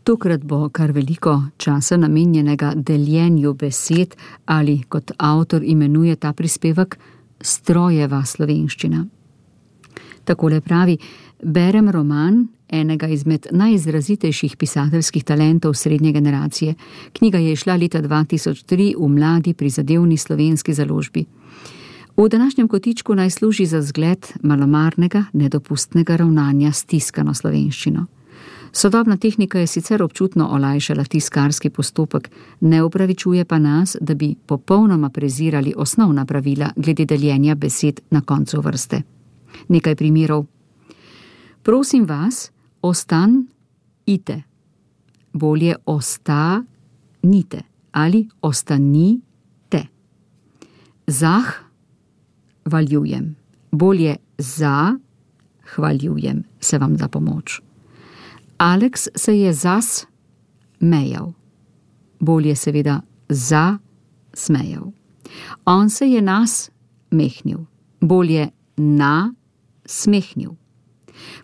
Tokrat bo kar veliko časa namenjenega deljenju besed ali, kot avtor imenuje ta prispevek, strojeva slovenščina. Takole pravi: berem roman enega izmed najizrazitejših pisateljskih talentov srednje generacije. Knjiga je izšla leta 2003 v mladi prizadevni slovenski založbi. V današnjem kotičku naj služi za zgled malomarnega, nedopustnega ravnanja s tiskano slovenščino. Sodobna tehnika je sicer občutno olajšala tiskarski postopek, ne upravičuje pa nas, da bi popolnoma prezirali osnovna pravila glede deljenja besed na koncu vrste. Nekaj primerov. Prosim vas, ostanite. Bolje ostanite ali ostanite. Zahvaljujem. Bolje zahvaljujem se vam za pomoč. Aleks se je zasmejal. Bolje seveda zasmejal. On se je nasmehnil. Bolje nasmehnil.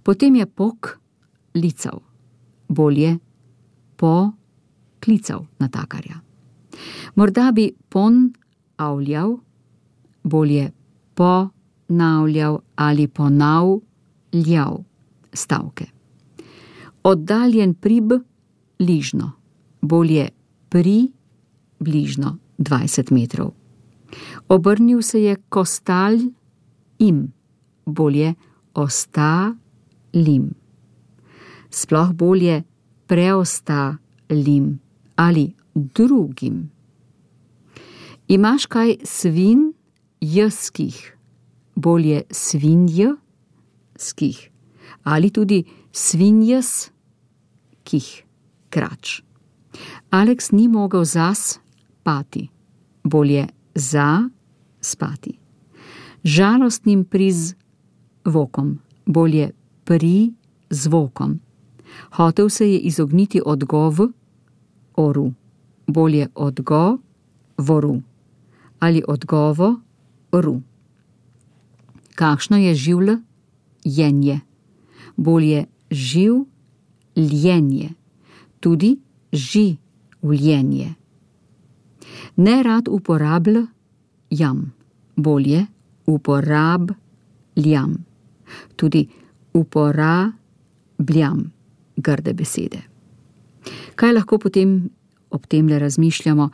Potem je poklical. Bolje poklical natakarja. Morda bi ponavljal. Bolje ponavljal ali ponavljal stavke. Oddaljen približno. Bolje približno 20 metrov. Obrnil se je k ostalim. Bolje ostalim. Sploh bolje preostalim ali drugim. Imaš kaj svinjskih? Bolje svinjskih ali tudi svinjskih krač. Aleks ni mogel zaspati. Bolje zaspati. Žalostnim prizvokom. Bolje prizvokom. Hotel se je izogniti odgovoru. Bolje odgovoru ali odgovoru. Kakšno je življenje? Bolje življenje. Tudi življenje. Nerad uporabljam. Bolje uporabljam. Tudi uporabljam grde besede. Kaj lahko potem ob temle razmišljamo,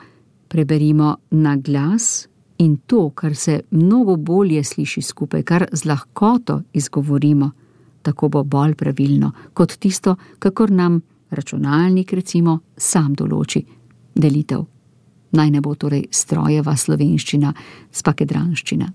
preberimo na glas in to, kar se mnogo bolje sliši skupaj, kar z lahkoto izgovorimo, tako bo bolj pravilno, kot tisto, kakor nam računalnik recimo sam določi delitev. Naj ne bo torej strojeva slovenščina, spakedranščina.